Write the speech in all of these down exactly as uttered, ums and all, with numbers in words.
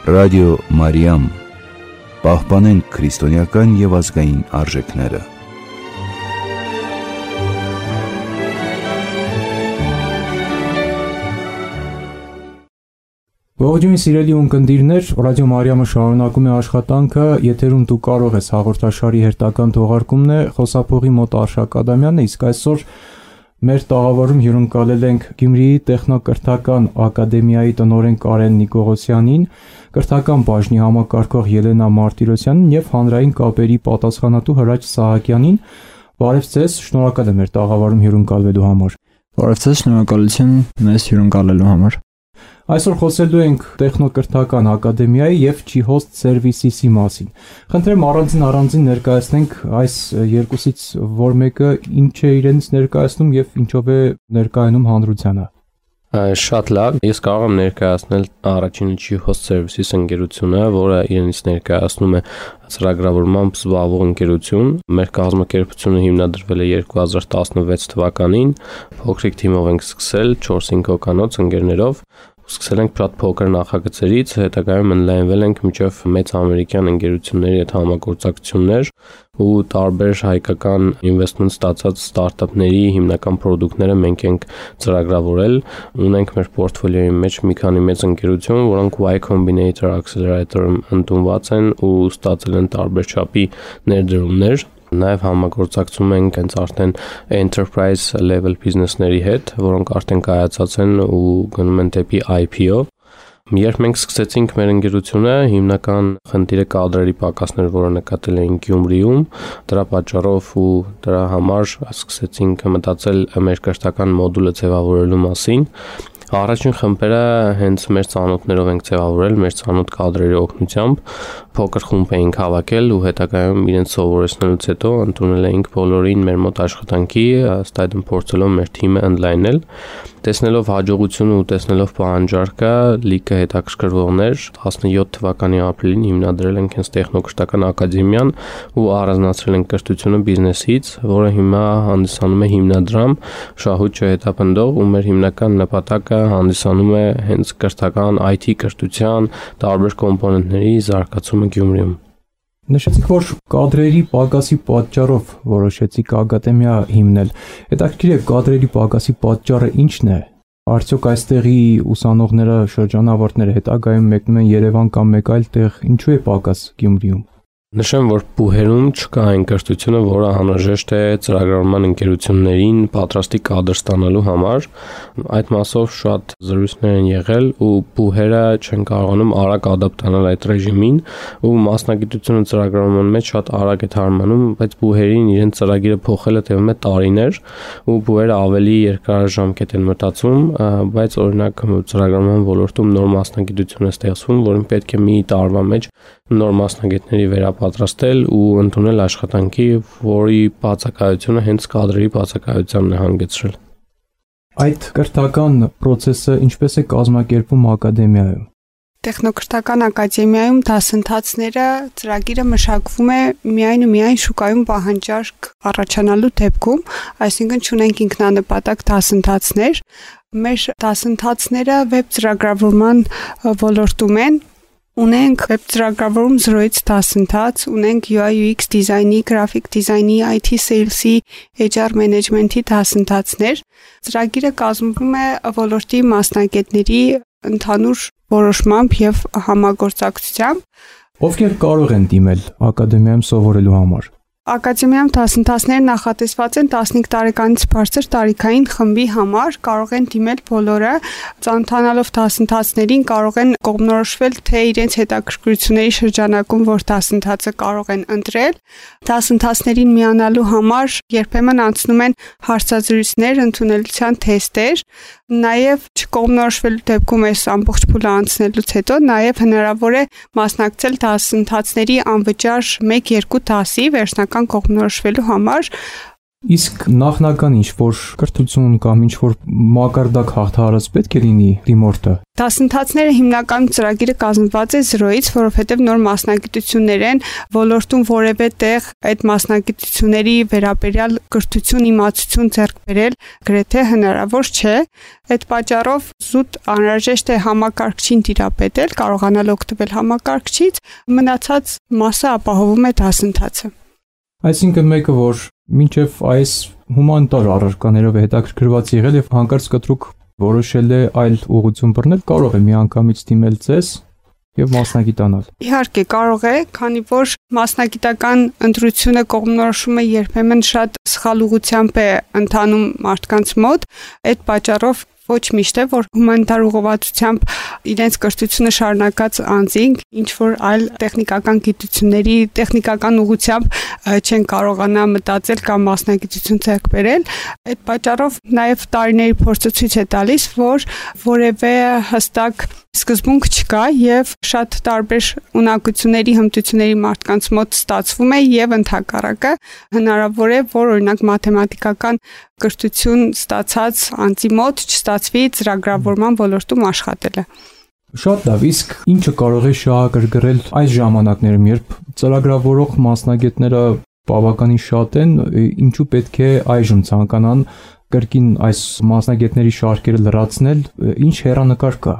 Ռադիո Մարիամ, պահպանենք քրիստոնեական և ազգային արժեքները։ Ողջույն սիրելի ունկնդիրներ, Ռադիո Մարիամը շարունակում է աշխատանքը, եթերում դու կարող ես հաղորդաշարի հերթական թողարկումն է, խոսափողի մոտ Արշակ Ադամյանն է, իսկ այսօր մեր տաղավարում հյուրընկալել ենք Գյումրիի տեխնոկրթական ակադեմիայի տնօրեն Կարեն Նիկողոսյանին, կրթական բաժնի համակարգող Ելենա Մարտիրոսյանին և հանրային կապերի պատասխանատու Հրաչ Սահակյանին։ Բարև ձեզ, շնորհակալ եմ մեր տաղավարում հյուրընկալվելու համար։ Բարև ձեզ, շնորհակալություն մեզ հյուրընկալելու համար։ Այսօր խոսելու ենք տեխնոկրթական ակադեմիայի և G-Host Services-ի մասին։ Խնդրեմ առանձին առանձին ներկայացնենք այս երկուսից որ մեկը ինչ է իրենից ներկայացնում և ինչով է ներկայանում հանրությանը։ Շատ լավ, ես կարող եմ ներկայացնել առաջինը G-Host Services ընկերությունը, որը իրենից ներկայացնում է ծրագրավորմամբ զբաղվող ընկերություն։ Մեր կազմակերպությունը հիմնադրվել է երկու հազար տասնվեց թվականին, փոքրիկ թիմով ենք սկսել չորս-հինգ հոգանոց ընկերներով։ Սկսել ենք շատ փոքր նախագծերից, հետագայում ընդլայնվել ենք մինչև մեծ ամերիկյան ընկերությունների հետ համագործակցություններ ու տարբեր հայկական ինվեստմենտ ստացած ստարտափների հիմնական պրոդուկտները մենք ենք ծրագրավորել։ Ունենք մեր պորտֆոլիոյի մեջ մի քանի մեծ ընկերություն, որոնք Y Combinator Accelerator-ում ընդունված են ու ստացել են տարբեր չափի ներդրումներ։ Նաև համագործակցում ենք հենց արդեն enterprise level business-ների հետ, որոնք արդեն կայացած են ու գնում են դեպի I P O։ Երբ մենք սկսեցինք մեր ընկերությունը, հիմնական խնդիրը կադրերի պակասն էր, որը նկատել էինք Գյումրիում, դրա պատճառով ու դրա համար սկսեցինք մտածել մեր կրթական մոդուլը ձևավորելու մասին։ Առաջին խմբերը հենց մեր ծանոթներով ենք ձևավորել, մեր ծանոթ կադրերի օգնությամբ, փոքր խումբ էինք հավաքել ու հետագայում իրենց սովորեցնելուց հետո ընդունել էինք բոլորին մեր մոտ աշխատանքի, ըստ այդմ փորձելով մեր թիմը ընդլայնել։ Տեսնելով հաջողությունը ու տեսնելով պահանջարկը, լիքը հետաքրքրվողներ, տասնյոթ թվականի ապրիլին հիմնադրել ենք հենց տեխնոկրթական ակադեմիան ու առանձնացրել ենք կրթությունը բիզնեսից, որը հիմա հանդիսանում է հիմնադրամ շահույթ չհետապնդող ու մեր հիմնական նպատակը հանդիսանում է հենց կրթական I T կրթության տարբեր կոմպոնենտների զարգացումը Գյումրիում։ Նշեցիք, որ կադրերի պակասի պատճառով որոշեցիք ակադեմիա հիմնել։ Հետաքրքիր է, կադրերի պակասի պատճառը ի՞նչն է։ Արդյոք այստեղի ուսանողները, շրջանավարտները հետագայում մեկնում են Երևան կամ մեկ այլ տեղ, ինչու է պակաս Գյումրիում։ Նշեմ, որ Բուհերում չկա այն կրթությունը, որը անհրաժեշտ է ծրագրավորման ընկերություններին պատրաստի կադր ստանալու համար։ Այդ մասով շատ զրույցներ են եղել ու Բուհերը չեն կարողանում արագ ադապտանալ այդ ռեժիմին ու մասնագիտությունը ծրագրավորման մեջ շատ արագ է թարմանում, բայց Բուհերին իրենց ծրագիրը փոխելը տևում է տարիներ ու Բուհերը ավելի երկարաժամկետ են մտածում, բայց օրինակ ծրագրավորման ոլորտում նոր մասնագիտություն է ստեղծվում, որին պետք է մի տարվա մեջ նոր մասնագետների վերապատրաստել ու ընդունել աշխատանքի, որի բացակայությունը հենց կադրերի բացակայությանն է հանգեցրել։ Այդ կրթական process-ը ինչպես է կազմակերպվում ակադեմիայում։ Տեխնոկրթական ակադեմիայում դասընթացները ծրագիրը մշակվում է միայն ու միայն շուկայում պահանջարկ առաջանալու դեպքում, այսինքն չունենք ինքնանպատակ դասընթացներ։ Մեր դասընթացները վեբ ծրագրավորման ոլորտում են։ Ունենք վեբ ծրագրավորում զրոյից դասընթաց, ունենք U I U X դիզայնի, գրաֆիկ դիզայնի, I T sales-ի, H R management-ի դասընթացներ։ Ծրագիրը կազմվում է ոլորտի մասնագետների ընդհանուր որոշմամբ եւ համագործակցությամբ։ Ովքեր կարող են դիմել ակադեմիայում սովորելու համար։ Ակադեմիայում դասընթացները նախատեսված են տասնհինգ տարեկանից բարձր տարիքային խմբի համար, կարող են դիմել բոլորը, ծանոթանալով դասընթացներին կարող են կողմնորոշվել, թե իրենց հետաքրքրությունների շրջանակում որ դասընթացը կարող են ընտրել։ Դասընթացներին միանալու համար երբեմն անցնում են հարցազրույցներ, ընդունելության թեստեր, նաև չկողմնորոշվելու դեպքում այս ամբողջ փուլը անցնելուց հետո նաև հնարավոր է մասնակցել դասընթացների անվճար մեկ-երկու դասի վերջնական կողմնորոշվելու համար։ Իսկ նախնական ինչ-որ կրթություն կամ ինչ-որ մակարդակ հաղթահարած պետք է լինի դիմորդը։ Դասընթացները հիմնականում ծրագիրը կազմված է զրոյից, որովհետև նոր մասնագիտություններ են, ոլորտում որևէ տեղ այդ մասնագիտությունների վերաբերյալ կրթություն, իմացություն ձեռք բերել գրեթե հնարավոր չէ։ Այդ պատճառով զուտ անհրաժեշտ է համակարգչին տիրապետել, կարողանալ օգտվել համակարգչից, մնացած մասը ապահովում է դասընթացը։ Այսինքն մեկը, որ մինչև այս հումանիտար առարկաներով հետաքրքրված եղել եւ հանկարծ կտրուկ որոշել է այլ ուղղություն բռնել, կարող է միանգամից դիմել ձեզ եւ մասնագիտանալ։ Իհարկե կարող է, քանի որ մասնագիտական ընտրությունը կողմնորոշումը երբեմն շատ սխալ ուղղությամբ է ընթանում մարդկանց մոտ, այդ պատճառով ոչ միշտ է, որ հումանիտար ուղղվածությամբ իրենց կրթությունը շարունակած անձինք ինչ որ այլ տեխնիկական գիտությունների, տեխնիկական ուղղությամբ չեն կարողանա մտածել կամ մասնագիտություն ձեռք բերել։ Այդ պատճառով նաև տարիների փորձը ցույց է տալիս, որ որևէ հստակ սկզբունք չկա եւ շատ տարբեր ունակությունների, հմտությունների մարդկանց մոտ ստացվում է եւ ընդհակառակը հնարավոր է, որ օրինակ մաթեմատիկական կրթություն ստացած անձի մոտ չստացվի ծրագրավորման ոլորտում աշխատելը։ Շատ լավ, իսկ ինչը կարող է շահագրգռել այս ժամանակներում, երբ ծրագրավորող մասնագետները բավականին շատ են, ինչու պետք է այժմ ցանկանան կրկին այս մասնագետների շարքերը լրացնել, ինչ հեռանկար կա։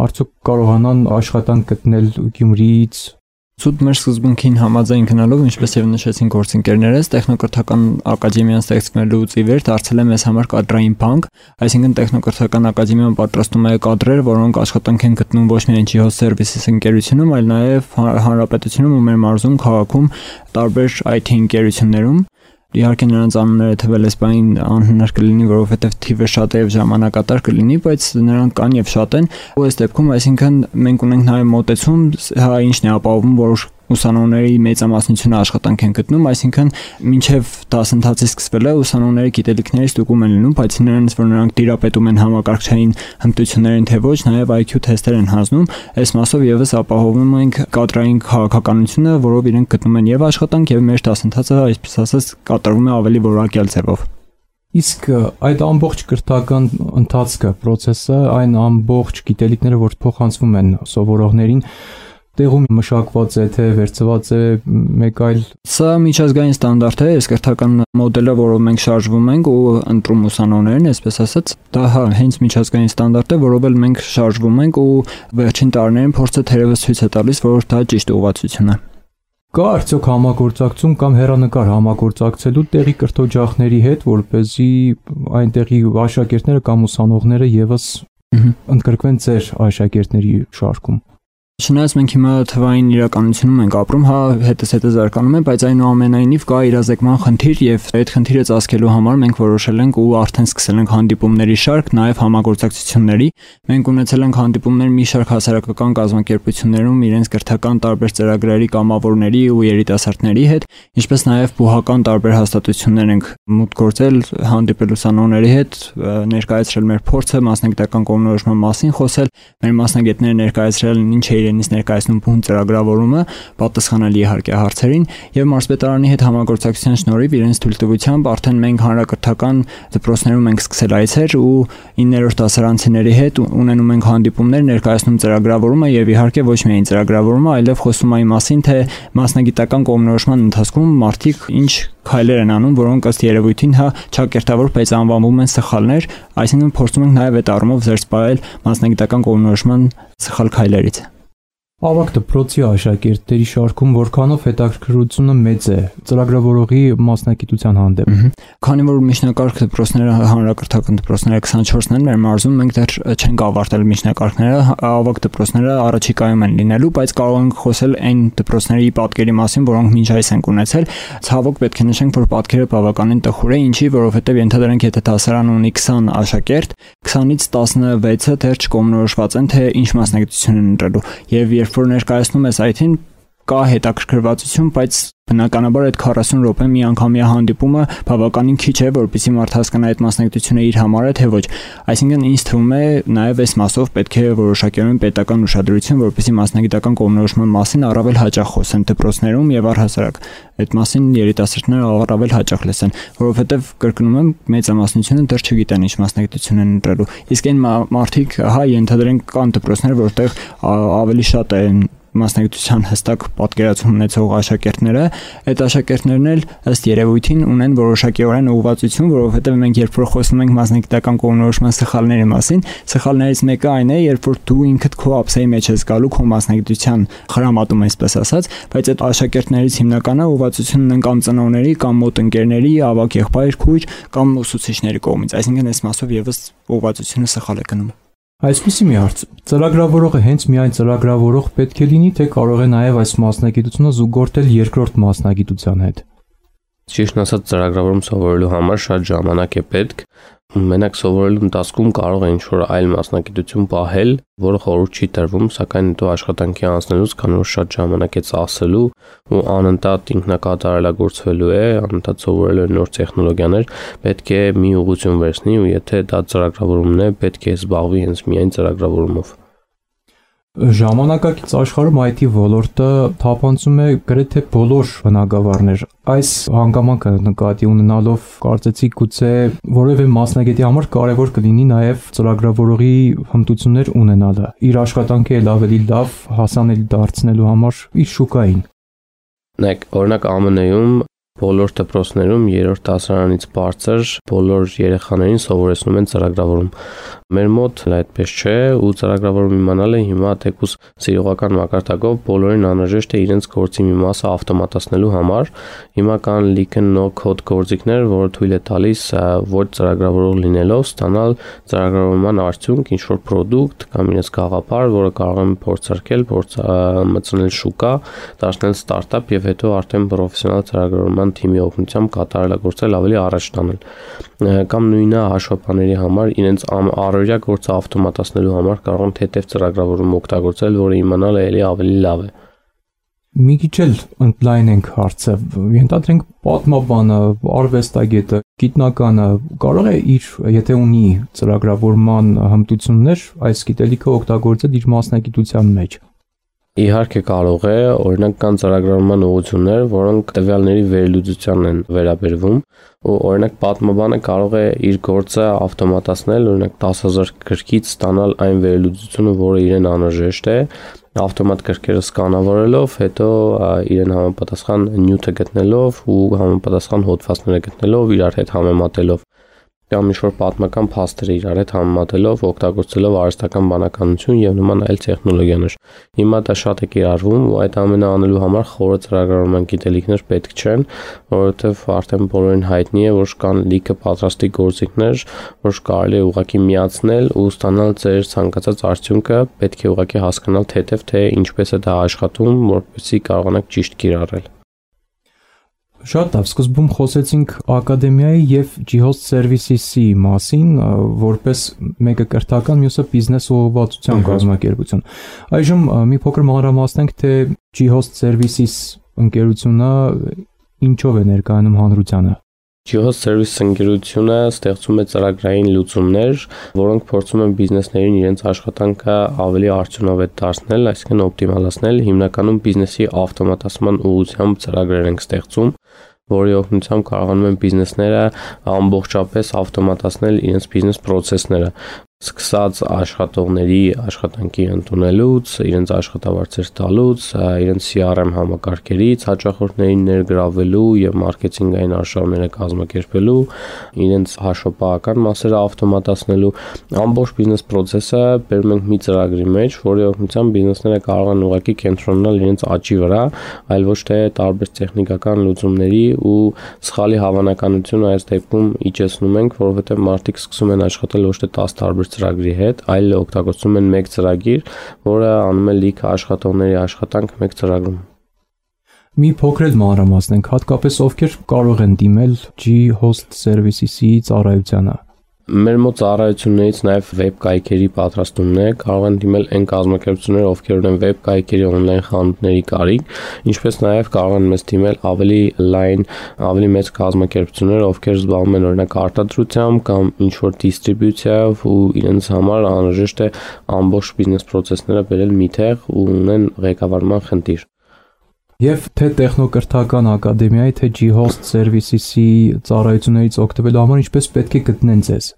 Արդյոք կարողանան աշխատանք գտնել Գյումրիից։ Ցույց մեր սկզբունքին համաձայն գնալով, ինչպես եւ նշեցին գործընկերներս, տեխնոկրթական ակադեմիան ստեղծվելուց ի վեր դարձել է մեզ համար կադրային բանկ, այսինքն տեխնոկրթական ակադեմիան պատրաստում է կադրեր, որոնք աշխատանք են գտնում ոչ միայն ջի-հոս սերվիսիս ընկերությունում, այլ նաեւ հանրապետությունում ու մեր մարզում, քաղաքում, տարբեր այ թի ընկերություններում։ Իհարկե նրանց անունները թվել էսպային անհնար կլինի, որովհետև թիվը շատ է եւ ժամանակատար կլինի, բայց նրանք կան եւ շատ են։ Ու այս դեպքում, այսինքն մենք ունենք նաեւ մոտեցում, հա ինչն է ապահովում, որ ուսանողների մեծամասնությունը աշխատանք են գտնում, այսինքն մինչև դասընթացի սկսվելը ուսանողների գիտելիքների ստուգում են լինում, բայց նրանց որ նրանք տիրապետում են համակարգչային հմտություններին թե ոչ, նաև այ քյու թեստեր են հանձնում, այս մասով եւս ապահովում ենք կադրային քաղաքականությունը, որով իրենք գտնում են եւ աշխատանք եւ մեր դասընթացը, այսպես ասած, կատարվում է ավելի որակյալ ձևով։ Իսկ այդ ամբողջ կրթական ընթացքը, process-ը, այն ամբողջ գիտելիքները, որ փոխանցվում են սովորողներին, տեղում մշակված է, թե վերցված է մեկ այլ։ Սա միջազգային ստանդարտ է, այս կրթական մոդելը, որով մենք շարժվում ենք ու ընտրում ուսանողներին, այսպես ասած, դա հա հենց միջազգային ստանդարտ է, որով էլ մենք շարժվում ենք ու վերջին տարիներին փորձը թերևս ցույց է տալիս, որ դա ճիշտ ուղղվածություն է։ Կա արդյոք համագործակցություն կամ հեռանկար համագործակցելու տեղի կրթօջախների հետ, որպեսզի այնտեղի աշակերտները կամ ուսանողները եւս ընդգրկվեն ձեր աշակերտների շարքում։ Չնայած մենք հիմա թվային իրականությունում ենք ապրում, հա, հետս հետը զարգանում է, բայց այնուամենայնիվ կա իրազեկման խնդիր եւ այդ խնդիրը ծածկելու համար մենք որոշել ենք ու արդեն սկսել ենք հանդիպումների շարք, նաեւ համագործակցությունների։ Մենք ունեցել ենք հանդիպումներ մի շարք հասարակական կազմակերպություններում իրենց կրթական տարբեր ծրագրերի կամավորների ու երիտասարդների հետ, ինչպես նաեւ բուհական տարբեր հաստատություններ ենք մուտք գործել, հանդիպել ուսանողների հետ, ներկայացրել մեր փորձը, մասնագիտական կողմնորոշման մասին խոսել, մեր մասնագետները ներկայացրել ինչ է իրենից ներկայացնում բուն ծրագրավորումը, պատասխանել իհարկե հարցերին եւ մարզպետարանի հետ համագործակցության շնորհիվ իրենց թույլտվությամբ արդեն մենք հանրակրթական դպրոցներում ենք սկսել այցեր ու իններորդ դասարանցիների հետ ունենում ենք հանդիպումներ, ներկայացնում ծրագրավորումը եւ իհարկե ոչ միայն ծրագրավորումը, այլև խոսում այն մասին, թե մասնագիտական կողմնորոշման ընթացքում մարդիկ ինչ քայլեր են անում, որոնք ըստ երևույթին հա ճակերտավոր, բայց անվանվում են սխալներ, այսինքն փորձում ենք նաեւ այդ առումով զերծ պահել մասնագիտական կողմնորոշման սխալ քայլերից։ Ավագ դպրոցի աշակերտների շարքում որքանով հետաքրքրությունը մեծ է ծրագրավորողի մասնագիտության հանդեպ։ Քանի որ միջնակարգ դպրոցները հանրակրթական դպրոցները քսանչորսն են մեր մարզում, մենք դեռ չենք ավարտել միջնակարգները, ավագ դպրոցները առաջիկայում են լինելու, բայց կարող ենք խոսել այն դպրոցների պատկերի մասին, որոնք մինչ այս ենք ունեցել։ Ցավոք պետք է նշենք, որ պատկերը բավականին տխուր է, ինչի, որովհետև ենթադրենք, եթե դասարան ունի քսան աշակերտ, քսանից տասնվեցը դեռ չկողմնորոշված են, թե ինչ մասնագիտություն են ընտրելու։ Եվ երբ որ ներկայացնում ես այ թին կա հետաքրքրվածություն, բայց բնականաբար այդ քառասուն րոպե մի անգամյա հանդիպումը բավականին քիչ է, որպեսզի մարդ հասկանա այդ մասնագիտությունը իր համար է թե ոչ։ Այսինքն ինձ թվում է նաև այս մասով պետք է որոշակիորեն պետական ուշադրություն, որպեսզի մասնագիտական կողմնորոշման մասին առավել հաճախ խոսեն դպրոցներում եւ առհասարակ այդ մասին երիտասարդները առավել հաճախ լսեն, որովհետեւ կրկնում եմ, մեծամասնությունը դեռ չգիտեն ինչ մասնագիտություն են ընտրելու։ Իսկ այն մարդիկ, հա, ենթադրենք կան դպրոցներ, որտեղ ավելի շատ են մասնագիտության հստակ պատկերացում ունեցող աշակերտները, այդ աշակերտներն էլ ըստ երևույթին ունեն որոշակիորեն ուղղվածություն, որովհետև մենք երբ որ խոսում ենք մասնագիտական կողմնորոշման սխալների մասին, սխալներից մեկը այն է, երբ որ դու ինքդ քո ափսեի մեջ ես գալու քո մասնագիտության խրամատում, այսպես ասած, բայց այդ աշակերտներից հիմնականը ուղղվածություն ունեն կամ ծնողների, կամ մոտ ընկերների, ավագ եղբայր, քույր, կամ ուսուցիչների կողմից, այսինքն այս մասով եւս ուղղվածությունը սխալ է գնում։ Այսպեսի մի հարց. ծրագրավորողը հենց միայն ծրագրավորող պետք է լինի, թե կարող է նաև այս մասնագիտությունը զուգորդել երկրորդ մասնագիտության հետ։ Ճիշտն ասած, ծրագրավորում սովորելու համար շատ ժամանակ է պետք։ Մենակ սովորելու ընթացքում կարող է ինչ-որ այլ մասնագիտություն պահել, որը խորհուրդ չի տրվում, սակայն հետո աշխատանքի անցնելուց քանի որ շատ ժամանակ է ծախսելու ու անընդհատ ինքնակատարելագործվելու է, անընդհատ սովորելու է նոր տեխնոլոգիաներ, պետք է մի ուղղություն վերցնի ու եթե դա ծրագրավորումն է, պետք է զբաղվի հենց միայն ծրագրավորումով։ Ժամանակակից աշխարհում այ թի ոլորտը թափանցում է գրեթե բոլոր բնագավառներ։ Այս հանգամանքը նկատի ունենալով կարծեցի գուցե որևէ մասնագետի համար կարևոր կլինի նաև ծրագրավորողի հմտություններ ունենալը, իր աշխատանքը էլ ավելի լավ հասանելի դարձնելու համար իր շուկային։ Նայեք, օրինակ Ա Մ Ն-ում բոլոր դպրոցներում երրորդ դասարանից բարձր բոլոր երեխաներին սովորեցնում են ծրագրավորում։ Մեր մոտ այդպես չէ ու ծրագրավորում իմանալը հիմա թեկուզ սիրողական մակարդակով բոլորին անհրաժեշտ է իրենց գործի մի մասը ավտոմատացնելու համար։ Հիմա կան լիքը no-code գործիքներ, որը թույլ է տալիս ոչ ծրագրավորող լինելով ստանալ ծրագրավորման արդյունք, ինչ-որ product կամ իրենց գաղափար, որը կարող են փորձարկել, փորձ մտցնել շուկա, դարձնել ստարտափ եւ հետո արդեն պրոֆեսիոնալ ծրագրավորման թիմի օգնությամբ կատարելագործել ավելի առաջ տանել։ Կամ նույնը հաշվապահների համար իրենց առօրյա գործը ավտոմատացնելու համար կարող են թեթև ծրագրավորում օգտագործել, որը իմանալը էլի ավելի լավ է։ Մի քիչ էլ ընդլայնենք հարցը, ենթադրենք պատմաբանը, արվեստագետը, գիտնականը կարող է իր, եթե ունի ծրագրավորման հմտություններ, այս գիտելիքը օգտագործել իր մասնագիտության մեջ։ Իհարկե կարող է, օրինակ կան ծրագրավորման ուղղություններ, որոնք տվյալների վերլուծությանն են վերաբերվում, ու օրինակ պատմաբանը կարող է իր գործը ավտոմատացնել, օրինակ դас հազար գրքից ստանալ այն վերլուծությունը, որը իրեն անհրաժեշտ է, ավտոմատ գրքերը սկանավորելով, հետո իրեն համապատասխան նյութը գտնելով ու համապատասխան հոդվածները գտնելով, իրար հետ համեմատելով կամ ինչ-որ պատմական փաստերը իրար հետ համեմատելով, օգտագործելով արհեստական բանականություն եւ նման այլ տեխնոլոգիաներ։ Հիմա դա շատ է կիրառվում ու այդ ամենը անելու համար խորը ծրագրավորման գիտելիքներ պետք չեն, որովհետեւ արդեն բոլորին հայտնի է, որ կան լիքը պատրաստի գործիքներ, որ կարելի է ուղղակի միացնել ու ստանալ ձեր ցանկացած արդյունքը, պետք է ուղղակի հասկանալ թեթև թե ինչպես է դա աշխատում, որպեսզի կարողանաք ճիշտ կիրառել։ Շատ լավ, սկզբում խոսեցինք ակադեմիայի եւ G-Host Services-ի մասին, որպես մեկը կրթական, մյուսը բիզնես ուղղվածության կազմակերպություն։ Այժմ մի փոքր մանրամասնենք, թե G-Host Services ընկերությունը ինչով է ներկայանում հանրությանը։ G-Host Services ընկերությունը ստեղծում է ծրագրային լուծումներ, որոնք փորձում են բիզնեսներին իրենց աշխատանքը ավելի արդյունավետ դարձնել, այսինքն օպտիմալացնել, հիմնականում բիզնեսի ավտոմատացման ուղղությամբ ծրագրեր են ստեղծում, որի օգնությամբ կարողանում են բիզնեսները ամբողջապես ավտոմատացնել իրենց բիզնես process-ները, սկսած աշխատողների աշխատանքի ընդունելուց, իրենց աշխատավարձեր տալուց, իրենց C R M համակարգերից հաճախորդներին ներգրավելու եւ մարքեթինգային արշավները կազմակերպելու, իրենց հաշվապահական մասերը ավտոմատացնելու, ամբողջ բիզնես process-ը բերում ենք մի ծրագրի մեջ, որի օգնությամբ բիզնեսները կարող են ուղղակի կենտրոնանալ իրենց աճի վրա, այլ ոչ թե տարբեր տեխնիկական լուծումների ու սխալի հավանականությունը այս դեպքում իջեցնում ենք, որովհետեւ մարդիկ սկսում են աշխատել ոչ թե դես տարբեր ծրագրի հետ, այլ օգտագործում են մեկ ծրագիր, որը անում է լիքը աշխատողների աշխատանք մեկ ծրագրում։ Մի փոքր էլ մանրամասնենք, հատկապես ովքեր կարող են դիմել G-Host Services-ի ծառայությանը։ Մեր մոտ ծառայություններից նաև վեբ կայքերի պատրաստումն է, կարող են դիմել այն կազմակերպությունները, ովքեր ունեն վեբ կայքերի on-line խանութների կարիք, ինչպես նաև կարող են մեզ դիմել ավելի լայն, ավելի մեծ կազմակերպությունները, ովքեր զբաղվում են օրինակ արտադրությամբ կամ ինչ-որ դիստրիբյուցիայով ու իրենց համար անհրաժեշտ է ամբողջ բիզնես process-ները բերել մի տեղ ու ունեն ղեկավարման խնդիր։ Եվ թե տեխնոկրթական ակադեմիայի, թե G-Host Services-ի ծառայություններից օգտվելու համար ինչպես պետք է գտնեն ձեզ։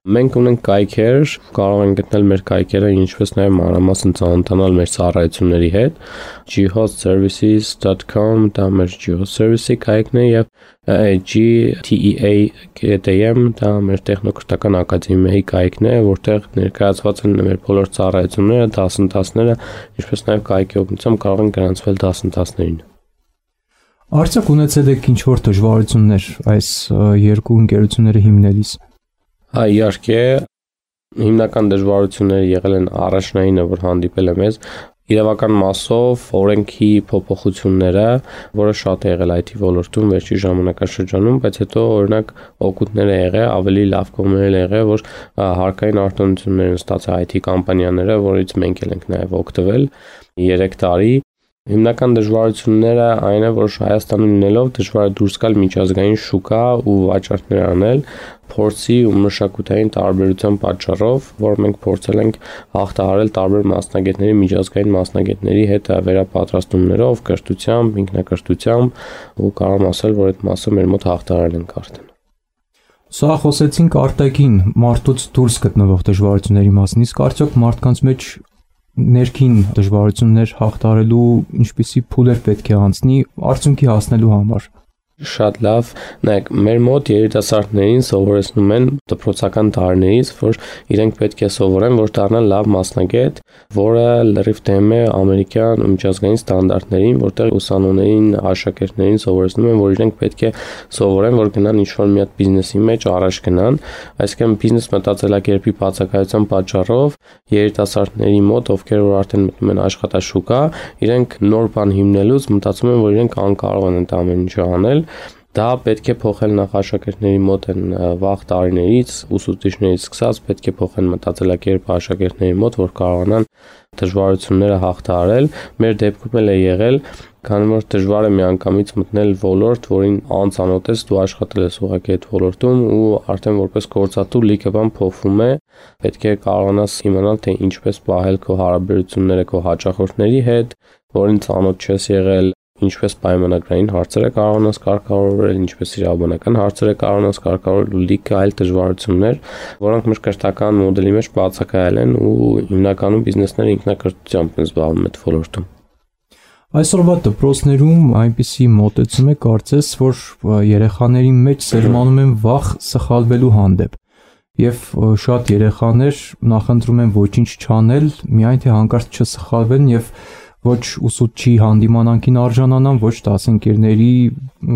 Մենք ունենք կայքեր, կարող են գտնել մեր կայքերը, ինչպես նաև մանրամասն ծանոթանալ մեր ծառայությունների հետ։ G host services dot com դա մեր G-Host Services-ի կայքն է եւ G T E A dot M դա մեր տեխնոկրթական ակադեմիայի կայքն է, որտեղ ներկայացված են մեր բոլոր ծառայությունները, դասընթացները, ինչպես նաև կայքի օգնությամբ կարող են գրանցվել դասընթացներին։ Արդյոք ունեցել եք ինչ-որ դժվարություններ այս երկու ընկերությունները հիմնելիս։ Հա, իհարկե, հիմնական դժվարությունները եղել են առաջնայինը, որ հանդիպել է մեզ, իրավական մասով օրենքի փոփոխությունները, որը շատ է եղել I T ոլորտում վերջի ժամանակաշրջանում, բայց հետո օրինակ օգուտներ է եղել, ավելի լավ կողմեր է եղել, որ հարկային արտոնություններ են ստացել I T կամպանիաները, որից մենք էլ ենք նաև օգտվել երեք տարի։ Հիմնական դժվարությունները այն է, որ Հայաստանում լինելով դժվար է դուրս գալ միջազգային շուկա ու վաճառքներ անել, փորձի ու մշակութային տարբերության պատճառով, որ մենք փորձել ենք հաղթահարել տարբեր մասնագետների, միջազգային մասնագետների հետ վերապատրաստումներով, կրթությամբ, ինքնակրթությամբ ու կարող եմ ասել, որ այդ մասը մեր մոտ հաղթահարել ենք արդեն։ Սա խոսեցինք արտաքին մարդուց դուրս գտնվող դժվարությունների մասին, իսկ արդյոք մարդկանց մեջ ներքին դժվարություններ հաղթահարելու ինչպիսի փուլեր պետք է անցնի արդյունքի հասնելու համար։ Շատ լավ, նայեք, մեր մոտ երիտասարդներին սովորեցնում են դպրոցական տարիներից, որ իրենք պետք է սովորեն, որ դառնան լավ մասնագետ, որը լրիվ դեմ է ամերիկյան ու միջազգային ստանդարտներին, որտեղ ուսանողներին, աշակերտներին սովորեցնում են, որ իրենք պետք է սովորեն, որ գնան ինչ-որ մի հատ բիզնեսի մեջ առաջ գնան, այսինքն բիզնես մտածելակերպի բացակայության պատճառով երիտասարդների մոտ, ովքեր որ արդեն մտնում են աշխատաշուկա, իրենք նոր բան հիմնելուց մտածում են, որ իրենք անկարող են այդ ամեն ինչը անել։ Դա պետք է փոխել նախ աշակերտների մոտ են վաղ տարիներից, ուսուցիչներից սկսած պետք է փոխեն մտածելակերպը աշակերտների մոտ, որ կարողանան դժվարությունները հաղթահարել։ Մեր դեպքում էլ է եղել, քանի որ դժվար է միանգամից մտնել ոլորտ, որին անծանոթ ես, դու աշխատել ես ուղղակի այդ ոլորտում ու արդեն որպես գործատու լիքը բան փոխվում է, պետք է կարողանաս իմանալ, թե ինչպես պահել քո հարաբերությունները քո հաճախորդների հետ, որին ծանոթ չես եղել, ինչպես պայմանագրային հարցերը կարողանաս կարգավորել, ինչպես իրավաբանական հարցերը կարողանաս կարգավորել ու լիքը այլ դժվարություններ, որոնք մեր կրթական մոդելի մեջ բացակայել են ու հիմնականում բիզնեսները ինքնակրթությամբ են զբաղվում այդ ոլորտում։ Այսօրվա դպրոցներում այնպիսի մոտեցում է կարծես, որ երեխաների մեջ սերմանում են վախ սխալվելու հանդեպ։ Եվ շատ երեխաներ նախընտրում են ոչինչ չանել, միայն թե հանկարծ չսխալվեն եւ ոչ ուսուցչի հանդիմանանքին արժանանան, ոչ դասընկերների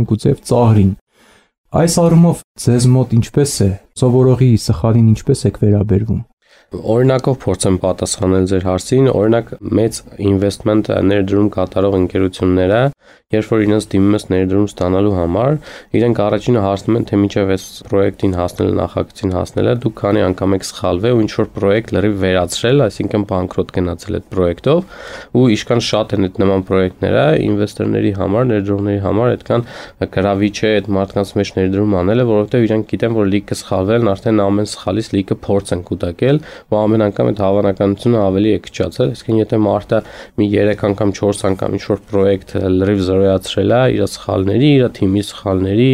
գուցե ծաղրին։ Այս առումով ձեզ մոտ ինչպես է, սովորողի սխալին ինչպես եք վերաբերվում։ Օրինակով փորձեմ պատասխանել ձեր հարցին, օրինակ մեծ investment ներդրում կատարող ընկերությունները, երբ որ իրենց դիմում ես ներդրում ստանալու համար, իրենք առաջինը հարցնում են, թե մինչև այս պրոյեկտին հասնելը, նախագծին հասնելը դուք քանի անգամ եք սխալվել ու ինչ որ պրոյեկտ լրիվ վերացրել, այսինքն բանկրոտ գնացել այդ պրոյեկտով, ու իշքան շատ են այդ նման պրոյեկտները, ինվեստորների համար, ներդրողների համար այդքան գրավիչ է այդ մարդկանց մեջ ներդրում անելը, որովհետև իրենք գիտեն, որ լիքը սխալվել են, արդեն ամեն սխալից լիքը փորձ են կուտակել, ու ամեն անգամ այդ հավանականությունը ավելի է քչացել, այսինքն եթե մարդը մի երեք անգամ, չորս անգամ ինչ-որ պրոյեկտ լրիվ զրոյացրել է իր սխալների, իր թիմի սխալների,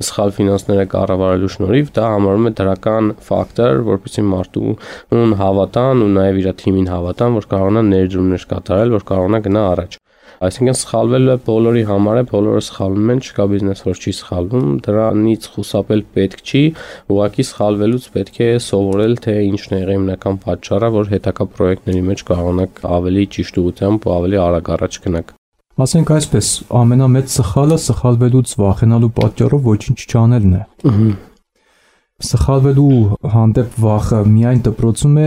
սխալ ֆինանսները կառավարելու շնորհիվ, դա համարվում է դրական ֆակտոր, որպեսզի մարդուն հավատան ու նաև իր թիմին հավատան, որ կարողանա ներդրումներ կատարել, որ կարողանա գնա առաջ։ Այսինքն սխալվելը բոլորի համար է, բոլորը սխալվում են, չկա բիզնես, որ չի սխալվում, դրանից խուսափել պետք չի, ուղղակի սխալվելուց պետք է սովորել, թե ինչն է եղել հիմնական պատճառը, որ հետագա պրոյեկտների մեջ կարողանաք ավելի ճիշտ ուղղությամբ ու ավելի արագ առաջ գնաք։ Ասենք այսպես, ամենամեծ սխալը սխալվելուց վախենալու պատճառով ոչինչ չանելն է։ Սխալվելու հանդեպ վախը միայն դպրոցում է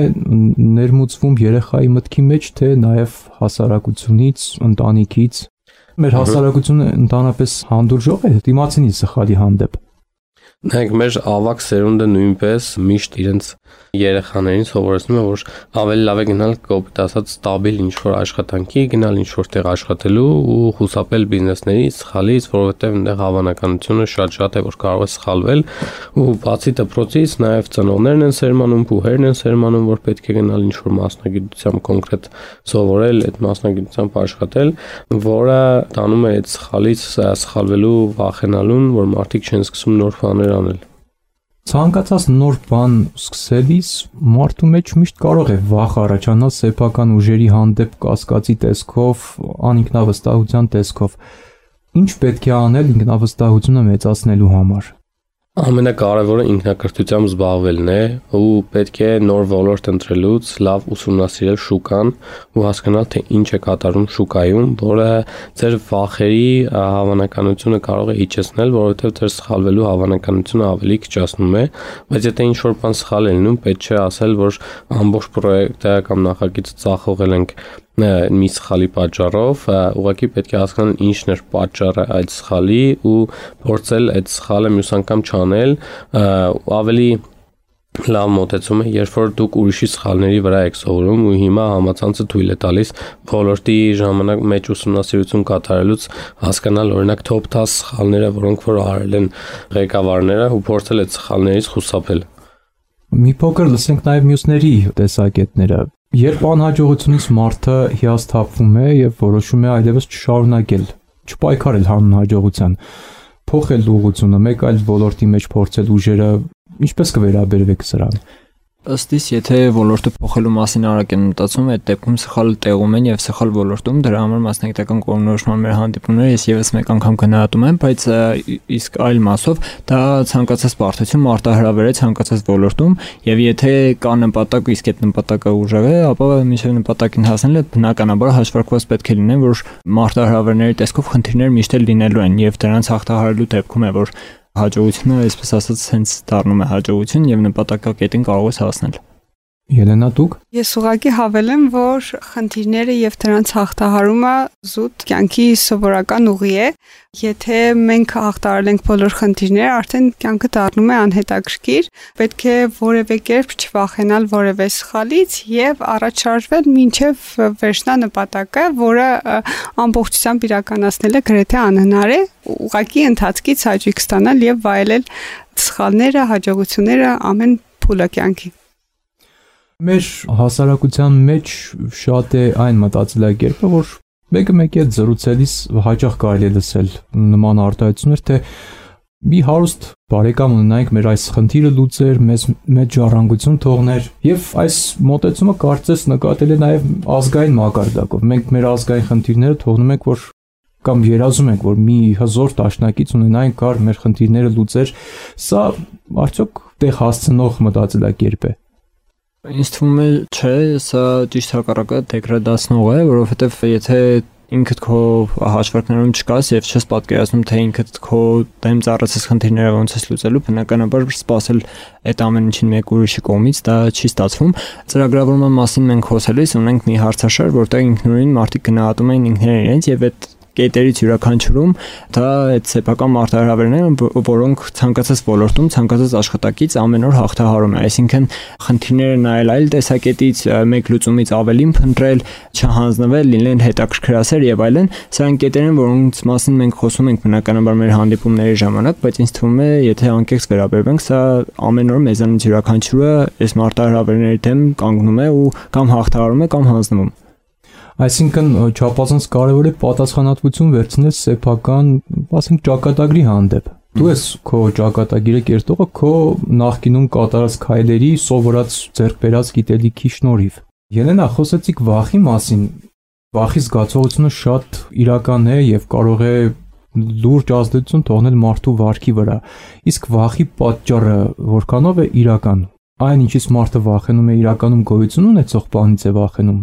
ներմուծվում երեխայի մտքի մեջ, թե նաև հասարակությունից, ընտանիքից։ Մեր հասարակությունը ընդհանրապես հանդուրժող է դիմացինի սխալի հանդեպ։ Նայեք, մեր ավակ սերունդը նույնպես միշտ իրենց երեխաներին սովորեցնում է, որ ավելի լավ է գնալ կոպիտ ասած ստաբիլ ինչ-որ աշխատանքի, գնալ ինչ-որ տեղ աշխատելու ու խուսափել բիզնեսներից, սխալից, որովհետև այնտեղ հավանականությունը շատ-շատ է, որ կարող է սխալվել ու բացի դպրոցից նաև ծնողներն են սերմանում, փուհերն են սերմանում, որ պետք է գնալ ինչ-որ մասնագիտությամբ կոնկրետ սովորել, այդ մասնագիտությամբ աշխատել, որը տանում է այդ սխալից սխալվելու վախենալուն, որ մարդիկ չեն սկսում նոր բաներ անել։ Ցանկացած նոր բան սկսելիս մարդու մեջ միշտ կարող է վախ առաջանալ սեփական ուժերի հանդեպ կասկածի տեսքով, անինքնավստահության տեսքով։ Ինչ պետք է անել ինքնավստահությունը մեծացնելու համար։ Ամենակարևորը ինքնակրթությամբ զբաղվելն է ու պետք է նոր ոլորտ ընտրելուց լավ ուսումնասիրել շուկան ու հասկանալ թե ինչ է կատարում շուկայում, որը ձեր վախերի հավանականությունը կարող է իջեցնել, որովհետև ձեր սխալվելու հավանականությունը ավելի քչացնում է, բայց եթե ինչ-որ բան սխալ է լինում, պետք չէ ասել, որ ամբողջ պրոյեկտը կամ նախագիծը ծախողել ենք մի սխալի պատճառով, ուղղակի պետք է հասկանալ ինչն էր պատճառը այդ սխալի ու փորձել այդ սխալը մյուս անգամ չանել, ավելի լավ մոտեցում է, երբ որ դուք ուրիշի սխալների վրա եք սովորում ու հիմա համացանցը թույլ է տալիս ոլորտի ժամանակ մեջ ուսումնասիրություն կատարելուց հասկանալ օրինակ top դես սխալները, որոնք որ արել են ղեկավարները ու փորձել այդ սխալներից խուսափել։ Մի փոքր լսենք նաև մյուսների տեսակետները։ Երբ անհաջողությունից մարդը հիասթափվում է եւ որոշում է այլևս չշարունակել, չպայքարել հանուն հաջողության, փոխել ուղղությունը, մեկ այլ ոլորտի մեջ փորձել ուժերը, ինչպես կվերաբերվեք սրան։ Ըստ իս, եթե ոլորտը փոխելու մասին արագ են մտածում, այդ դեպքում սխալ տեղում են եւ սխալ ոլորտում, դրա համար մասնագիտական կողմնորոշման մեր հանդիպումները ես եւս մեկ անգամ գնահատում եմ, բայց իսկ այլ մասով դա ցանկացած բարդություն մարտահրավեր է ցանկացած ոլորտում եւ եթե կա նպատակ, իսկ այդ նպատակը ուժեղ է, ապա մինչեւ նպատակին հասնելը բնականաբար հաշվարկված պետք է լինեն, որ մարտահրավերների տեսքով խնդիրներ միշտ էլ լինելու են եւ դրանց հաղթահարելու դեպքում է, որ հաջողությունը, այսպես ասած, հենց դառնում է հաջողություն եւ նպատակակետին կարող ես հասնել։ Ելենա, դուք։ Ես ուղղակի հավելեմ, որ խնդիրները եւ դրանց հաղթահարումը զուտ կյանքի սովորական ուղի է։ Եթե մենք հաղթահարել ենք բոլոր խնդիրները, արդեն կյանքը դառնում է անհետաքրքիր։ Պետք է որևէ կերպ չվախենալ որևէ սխալից եւ առաջ շարժվել մինչեւ վերջնա նպատակը, որը ամբողջությամբ իրականացնելը գրեթե անհնար է։ Ուղղակի ընթացքից հաճույք ստանալ եւ վայելել սխալները, հաջողությունները ամեն փուլը կյանքի։ Մեր հասարակության մեջ շատ է այն մտածելակերպը, որ մեկը մեկի հետ զրուցելիս հաճախ կարելի է լսել նման արտահայտություններ, թե մի հարուստ բարեկամ ունենայինք, մեր այս խնդիրը լուծեր, մեզ մեծ ժառանգություն թողներ, եւ այս մոտեցումը կարծես նկատել է նաեւ ազգային մակարդակով։ Մենք մեր ազգային խնդիրները թողնում ենք, որ կամ երազում ենք, որ մի հզոր դաշնակից ունենայինք, կար մեր խնդիրները լուծեր։ Սա արդյոք տեղ հասցնող մտածելակերպ է։ Ինձ թվում է, չէ, սա ճիշտ հակառակը դեգրադացնող է, որովհետև եթե ինքդ քո հաշվարկներում չկաս եւ չես պատկերացնում, թե ինքդ քո դեմ ծառացած խնդիրները ոնց ես լուծելու, բնականաբար սпасել այդ ամեն ինչին մեկ ուրիշի կողմից դա չի ստացվում։ Ծրագրավորման մասին մենք խոսելիս ունենք մի հարցաշար, որտեղ ինքնուրույն մարդիկ գնահատում են ինքներն իրենց եւ այդ կետերից յուրաքանչյուրում դա այդ սեփական մարտահրավերներն են, որոնք ցանկացած ոլորտում, ցանկացած աշխատակից ամեն օր հաղթահարում է, այսինքն խնդիրները նայել այլ տեսակետից, մեկ լուծումից ավելին փնտրել, չհանձնվել, լինել հետաքրքրասեր եւ այլն, սրանք կետեր են, որոնց մասին մենք խոսում ենք բնականաբար մեր հանդիպումների ժամանակ, բայց ինձ թվում է, եթե անկեղծ վերաբերվենք, սա ամեն օր մեզանից յուրաքանչյուրը այս մարտահրավերների դեմ կանգնում է ու կամ հաղթահարում է, կամ հանձնվում։ Այսինքն չափազանց կարևոր է պատասխանատվություն վերցնել սեփական, ասենք, ճակատագրի հանդեպ։ Դու ես քո ճակատագիրը կերտողը քո նախկինում կատարած քայլերի, սովորած ձեռք բերած գիտելիքի շնորհիվ։ Ելենա, խոսեցիք վախի մասին։ Վախի զգացողությունը շատ իրական է եւ կարող է լուրջ ազդեցություն թողնել մարդու վարքի վրա։ Իսկ վախի պատճառը որքանով է իրական։ Այն ինչից մարդը վախենում է, իրականում գոյություն ունեցող բանից է վախենում։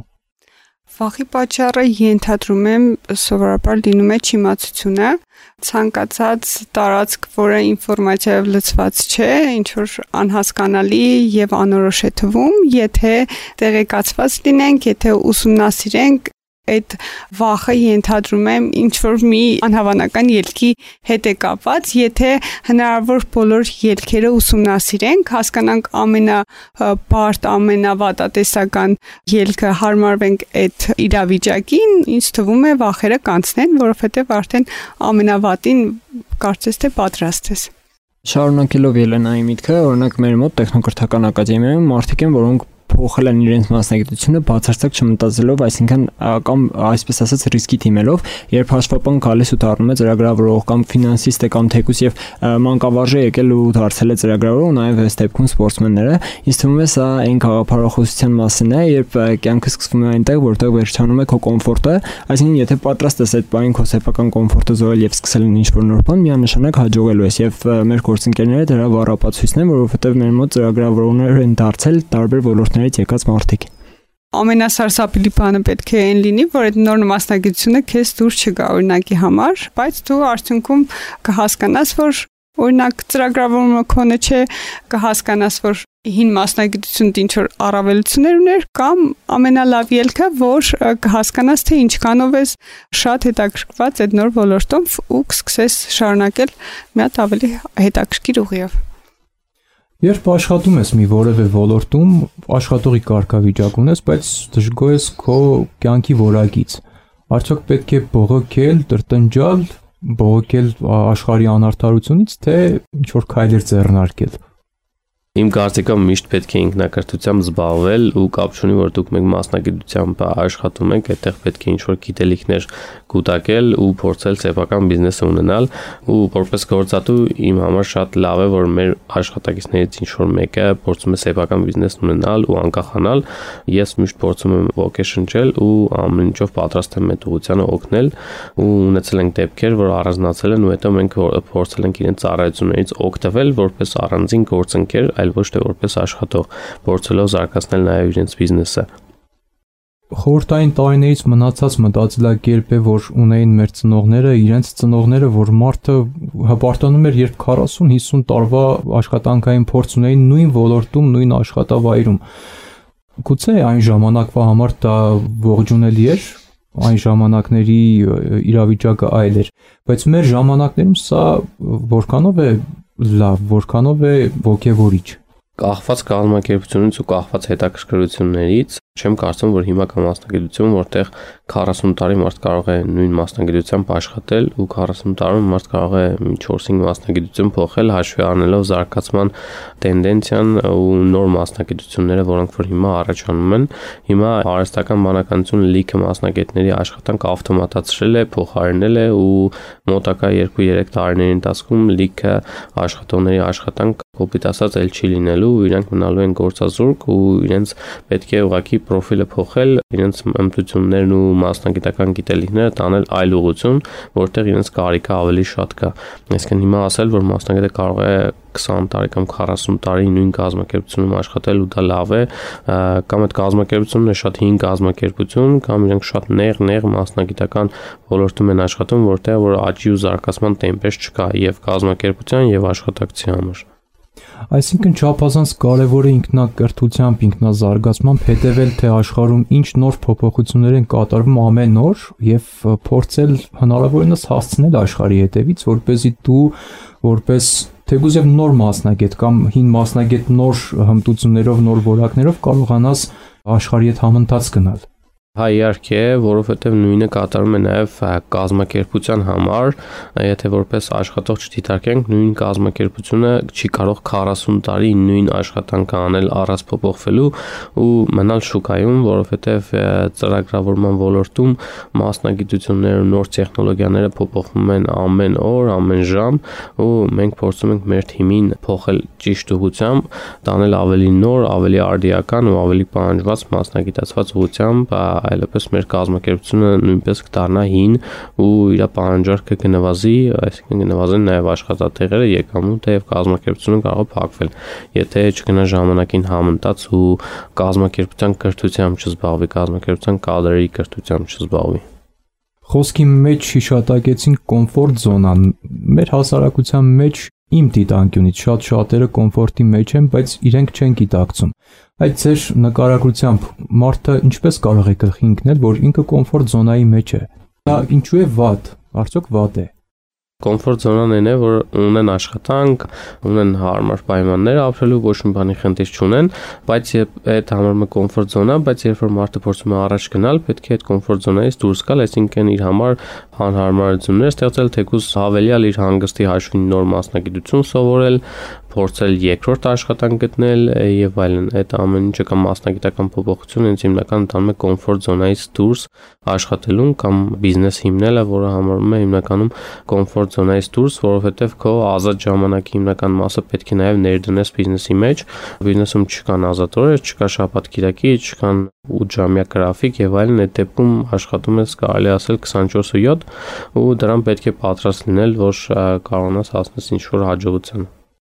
Վախի պատճառը ենթադրում եմ սովորաբար լինում է չիմացությունը, ցանկացած տարածք, որը ինֆորմացիայով լցված չէ, ինչ որ անհասկանալի եւ անորոշ է թվում, եթե տեղեկացված լինենք, եթե ուսումնասիրենք, այդ վախը ենթադրում եմ ինչ որ մի անհավանական ելքի հետ է կապված, եթե հնարավոր բոլոր ելքերը ուսումնասիրենք, հասկանանք ամենաբարդ, ամենավատատեսական ելքը հարմարվենք այդ իրավիճակին, ինձ թվում է վախերը կանցնեն, որովհետև արդեն ամենավատին կարծես թե պատրաստ ես։ Շարունակելով Ելենայի միտքը, օրինակ մեր մոտ տեխնոկրթական ակադեմիայում մարդիկ են, որոնք փոխել են իրենց մասնագիտությունը բացարձակ չմտածելով, այսինքն կամ այսպես ասած ռիսկի թիմելով, երբ հաշվապան գալիս ու դառնում է ծրագրավորող կամ ֆինանսիստ է կամ թեկուզ եւ մանկավարժ է եկել ու դարձել է ծրագրավորող, նաեւ այս դեպքում սպորտսմենները, ինձ թվում է սա այն գաղափարախոսության մասին է, երբ կյանքը սկսվում է այնտեղ, որտեղ վերջանում է քո կոմֆորտը, այսինքն եթե պատրաստ ես այդ բանին քո սեփական կոմֆորտը զոհել եւ սկսել ինչ-որ նոր բան, միանշանակ հաջողելու ես եւ մեր գործընկերները դրա վառապացույցն են, որովհետեւ մեր մոտ ծրագրավորողներ են դարձել տարբեր ոլորտներից եկած մարդիկ։ Ամենասարսափելի բանը պետք է այն լինի, որ այդ նոր մասնագիտությունը քեզ դուր չգա օրինակի համար, բայց դու արդյունքում կհասկանաս, որ օրինակ ծրագրավորումը քոնը չէ, կհասկանաս, որ հին մասնագիտությունը ինչ որ առավելություններ ուներ կամ ամենալավ ելքը, որ կհասկանաս, թե ինչքանով ես շատ հետաքրքրված այդ նոր ոլորտում ու կսկսես շարունակել մի հատ ավելի հետաքրքիր ուղիով։ Երբ աշխատում ես մի որևէ ոլորտում, աշխատողի կարգավիճակ ունես, բայց դժգոհ ես քո կյանքի որակից։ Արդյոք պետք է բողոքել, տրտնջալ, բողոքել աշխարհի անարդարությունից, թե ինչ որ քայլեր ձեռնարկել։ Իմ կարծիքով միշտ պետք է ինքնակրթությամբ զբաղվել ու կապ չունի, որ դուք մեկ մասնագիտությամբ աշխատում եք, այդտեղ պետք է ինչ-որ գիտելիքներ կուտակել ու փորձել սեփական բիզնես ունենալ ու որպես գործատու իմ համար շատ լավ է, որ մեր աշխատակիցներից ինչ-որ մեկը փորձում է սեփական բիզնես ունենալ ու անկախանալ։ Ես միշտ փորձում եմ ոգեշնչել ու ամեն ինչով պատրաստ եմ այդ ուղղությանը օգնել ու ունեցել ենք դեպքեր, որ առանձնացել են ու հետո մենք փորձել ենք իրենց ծառայություններից օգտվել որպես առանձին գործընկեր, այլ ոչ թե որպես աշխատող, փորձելով զարգացնել նաև իրենց բիզնեսը։ Խորհրդային տարիներից մնացած մտածելակերպ է, որ ունեին մեր ծնողները, իրենց ծնողները, որ մարդը հպարտանում էր, երբ քառասուն հիսուն տարվա աշխատանքային փորձ ունեին նույն ոլորտում, նույն աշխատավայրում։ Գուցե այն ժամանակվա համար դա ողջունելի էր, այն ժամանակների իրավիճակը այլ էր, բայց մեր ժամանակներում սա որքանով է լավ, որքանով է ոգևորիչ։ Կախված կազմակերպությունից ու կախված հետաքրքրություններից չեմ կարծում, որ հիմա կա մասնագիտություն, որտեղ քառասուն տարի մարդ կարող է նույն մասնագիտությամբ աշխատել ու քառասուն տարում մարդ կարող է չորս-հինգ մասնագիտություն փոխել, հաշվի առնելով զարգացման տենդենցիան ու նոր մասնագիտությունները, որոնք որ հիմա առաջանում են։ Հիմա արհեստական բանականությունը լիքը մասնագետների աշխատանք ավտոմատացրել է, փոխարինել է ու մոտակա երկու-երեք տարիների ընթացքում լիքը աշխատողների աշխատանք կոպիտ ասած էլ չի լինելու, իրանք մնալու են գործազուրկ ու իրենց պետք է ուղղակի պրոֆիլը փոխել, իրենց հմտություններն ու մասնագիտական գիտելիքները տանել այլ ուղղություն, որտեղ իրենց կարիքը ավելի շատ կա։ Այսինքն հիմա ասել, որ մասնագետը կարող է քսան տարի կամ քառասուն տարի նույն կազմակերպությունում աշխատել ու դա լավ է, կամ այդ կազմակերպությունն է շատ հին կազմակերպություն, կամ իրենք շատ նեղ-նեղ մասնագիտական ոլորտում են աշխատում, որտեղ որ աճի ու զարգացման տեմպեր չկա եւ կազմակերպության եւ աշխատակցի համար։ Այսինքն չափազանց կարևոր է ինքնակրթությամբ, ինքնազարգացմամբ հետևել, թե աշխարհում ինչ նոր փոփոխություններ են կատարվում ամեն օր եւ փորձել հնարավորինս հասցնել աշխարհի հետևից, որպեսզի դու որպես թեկուզ եւ նոր մասնագետ կամ հին մասնագետ նոր հմտություններով, նոր որակներով կարողանաս աշխարհի հետ համընթաց գնալ։ Հա իհարկե, որովհետև նույնը կատարում է նաև կազմակերպության համար, եթե որպես աշխատող չդիտարկենք, նույն կազմակերպությունը չի կարող քառասուն տարի նույն աշխատանքը անել առանց փոփոխվելու ու մնալ շուկայում, որովհետև ծրագրավորման ոլորտում մասնագիտությունները, նոր տեխնոլոգիաները փոփոխվում են ամեն օր, ամեն ժամ ու մենք փորձում ենք մեր թիմին փոխել ճիշտ ուղղությամբ, տանել ավելի նոր, ավելի արդիական ու ավելի պահանջված մասնագիտացված ուղղությամբ այլապես մեր կազմակերպությունը նույնպես կդառնա հին ու իր պահանջարկը կնվազի, այսինքն կնվազեն նաև աշխատատեղերը, եկամուտը եւ կազմակերպությունը կարող է փակվել, եթե չգնա ժամանակին համընթաց ու կազմակերպության կրթությամբ չզբաղվի, կազմակերպության կադրերի կրթությամբ չզբաղվի։ Խոսքի մեջ հիշատակեցին կոմֆորտ զոնան։ Մեր հասարակության մեջ Իմ դիտանկյունից շատ շատերը կոմֆորտի մեջ են, բայց իրենք չեն գիտակցում։ Այդ ձեր նկարագրությամբ մարդը ինչպես կարող է գլխի ընկնել, որ ինքը կոմֆորտ զոնայի մեջ է։ Դա ինչու է վատ, արդյոք վատ է։ Կոմֆորտ զոնան այն է, որ ունեն աշխատանք, ունեն հարմար պայմաններ ապրելու, ոչ մի բանի խնդիր չունեն, բայց երբ այդ համարում է կոմֆորտ զոնա, բայց երբ որ մարդը փորձում է առաջ գնալ, պետք է այդ կոմֆորտ զոնայից դուրս գալ, այսինքն իր համար անհարմարություններ ստեղծել, թեկուզ հավելյալ իր հանգստի հաշվին նոր մասնագիտություն սովորել, փորձել երկրորդ աշխատանք գտնել եւ այլն։ Այդ ամեն ինչը կամ մասնագիտական փոփոխություն հենց հիմնական տանում է կոմֆորտ զոնայից դուրս աշխատելուն կամ բիզնես հիմնելը, որը համարվում է հիմնականում կոմֆորտ զոնայից դուրս, որովհետեւ քո ազատ ժամանակի հիմնական մասը պետք է նաեւ ներդնես բիզնեսի մեջ։ Բիզնեսում չկան ազատ օրեր, չկա շաբաթ-կիրակի, չկան ութ ժամյա գրաֆիկ եւ այլն, այդ դեպքում աշխատում ես կարելի ասել քսանչորս ու յոթ ու դրան պետք է պատրաստ լինել, որ կարողանաս հասնես ինչ-որ հաջողության։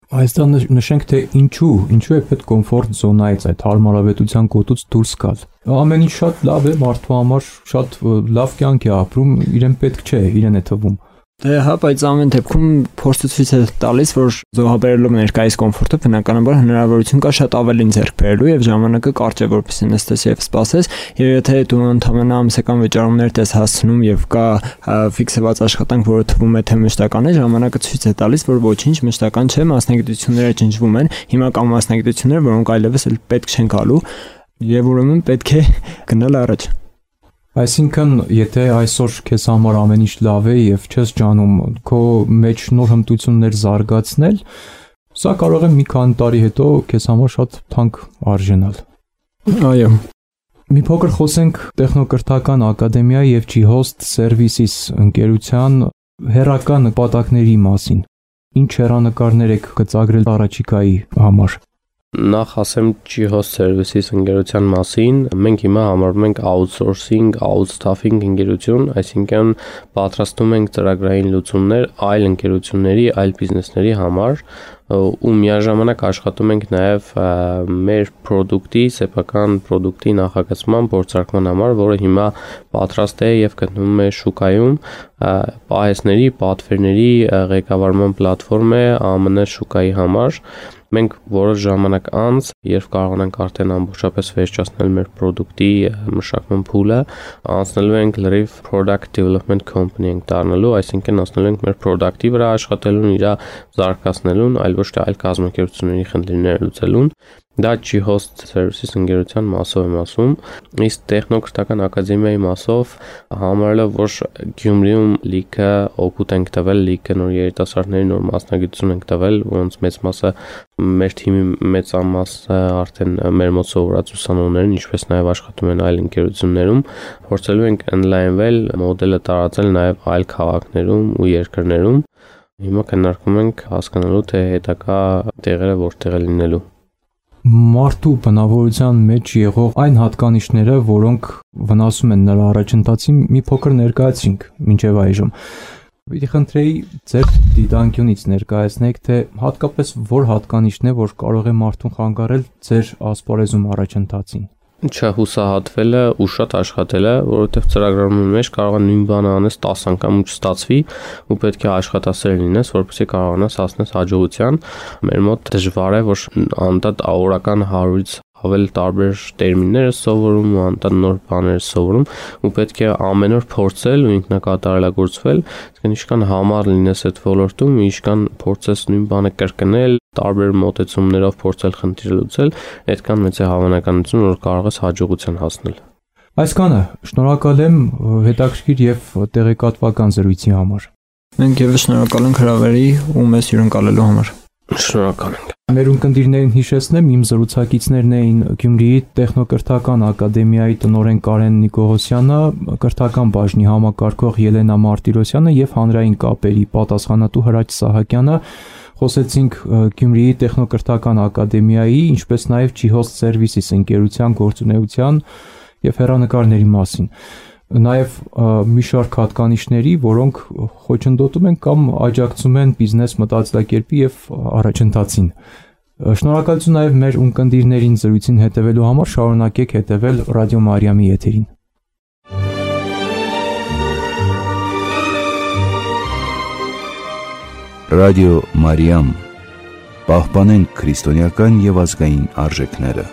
Այստեղ նշենք, թե ինչու, ինչու է պետք կոմֆորտ զոնայից, այդ հարմարավետության գոտուց դուրս գալ։ Ամեն ինչ շատ լավ է, մարդու համար շատ լավ կյանք է ապրում, իրեն պետք չէ, իրեն է թվում։ Դե հա, բայց ամեն դեպքում փորձը ցույց է տալիս, որ զոհաբերելով ներկայիս կոմֆորտը բնականաբար հնարավորություն կա շատ ավելին ձեռք բերելու եւ ժամանակը կարճ է, որպեսզի նստես եւ սպասես, եւ եթե դու ընդհանրապես ամսական վճարումներ ես հասցնում եւ կա ֆիքսված աշխատանք, որը թվում է թե մշտական է, ժամանակը ցույց է տալիս, որ ոչինչ մշտական չէ, մասնագիտությունները ջնջվում են, հիմա կան մասնագիտություններ, որոնք այլևս էլ պետք չեն գալու եւ ուրեմն պետք է գնալ առաջ։ Այսինքն, եթե այսօր քեզ համար ամեն ինչ լավ է եւ չես ջանում քո մեջ նոր հմտություններ զարգացնել, սա կարող է մի քանի տարի հետո քեզ համար շատ թանկ արժենալ։ Այո։ Մի փոքր խոսենք տեխնոկրթական ակադեմիայի եւ G-Host Services ընկերության հեռակա նպատակների մասին։ Ինչ հեռանկարներ եք գծագրել առաջիկայի համար։ Նախ ասեմ G-Host Services ընկերության մասին, մենք հիմա համարվում ենք outsourcing, outstaffing ընկերություն, այսինքն պատրաստում ենք ծրագրային լուծումներ այլ ընկերությունների, այլ բիզնեսների համար ու միաժամանակ աշխատում ենք նաև մեր product-ի, սեփական product-ի նախագծման, փորձարկման համար, որը հիմա պատրաստ է եւ գտնվում է շուկայում, պահեսների, պատվերների ղեկավարման պլատֆորմ է Α M N շուկայի համար։ Մենք որոշ ժամանակ անց, երբ կարողանանք արդեն ամբողջապես վերջացնել մեր product-ի մշակման փուլը, անցնելու ենք լրիվ product development company ենք դառնալու, այսինքն անցնելու ենք մեր product-ի վրա աշխատելուն, իր զարգացնելուն, այլ ոչ թե այլ կազմակերպությունների խնդիրներ լուծելուն։ Դա G-Host Services ընկերության մասով եմ ասում, իսկ տեխնոկրթական ակադեմիայի մասով համարելով, որ Գյումրիում լիքը օգուտ ենք տվել, լիքը նոր երիտասարդների նոր մասնագիտություն ենք տվել, որոնց մեծ մասը մեր թիմի մեծամասը արդեն մեր մոտ սովորած ուսանողներն, ինչպես նաև աշխատում են այլ ընկերություններում, փորձելու ենք ընդլայնվել, մոդելը տարածել նաև այլ քաղաքներում ու երկրներում։ Հիմա քննարկում ենք հասկանալու, թե հետագա տեղերը որտեղ է լինելու։ Մարդու բնավորության մեջ եղող այն հատկանիշները, որոնք վնասում են նրա առաջընթացին, մի փոքր ներկայացինք մինչև այժմ։ Պիտի խնդրեի ձեր դիտանկյունից ներկայացնեք, թե հատկապես որ հատկանիշն է, որ կարող է մարդուն խանգարել ձեր ասպարեզում առաջընթացին։ Չհուսահատվելը ու շատ աշխատելը, որովհետև ծրագրավորման մեջ կարող է նույն բանը անես տասը անգամ ու չստացվի ու պետք է աշխատասեր լինես, որպեսզի կարողանաս հասնես հաջողության։ Մեր մոտ դժվար է, որ անդադ օրական հարյուրից ավել տարբեր տերմիններ սովորում ու անդադ նոր բաներ սովորում ու պետք է ամեն օր փորձել ու ինքնակատարելագործվել, այսինքն ինչքան համառ լինես այդ ոլորտում, ինչքան փորձես նույն բանը կրկնել, տարբեր մոտեցումներով փորձել խնդիրը լուծել, այդքան մեծ է հավանականություն, որ կարող ես հաջողության հասնել։ Այսքանը, շնորհակալ եմ հետաքրքիր եւ տեղեկատվական զրույցի համար։ Մենք եւս շնորհակալ ենք հրավերի ու մեզ հյուրընկալելու համար։ Շնորհակալ ենք։ Մեր ունկնդիրներին հիշեցնեմ, իմ զրուցակիցներն էին Գյումրիի տեխնոկրթական ակադեմիայի տնօրեն Կարեն Նիկողոսյանը, կրթական բաժնի համակարգող Ելենա Մարտիրոսյանը եւ հանրային կապերի պատասխանատու Հրաչ Սահակյանը։ Խոսեցինք Գյումրիի տեխնոկրթական ակադեմիայի, ինչպես նաեւ G-Host Services ընկերության գործունեության եւ հեռանկարների մասին։ Նաև մի շարք հատկանիշների, որոնք խոչընդոտում են կամ աջակցում են բիզնես մտածելակերպի եւ առաջընթացին։ Շնորհակալություն նաև մեր ունկնդիրներին զրույցին հետևելու համար, շարունակեք հետևել Ռադիո Մարիամի եթերին։ Ռադիո Մարիամ, պահպանենք քրիստոնեական եւ ազգային արժեքները։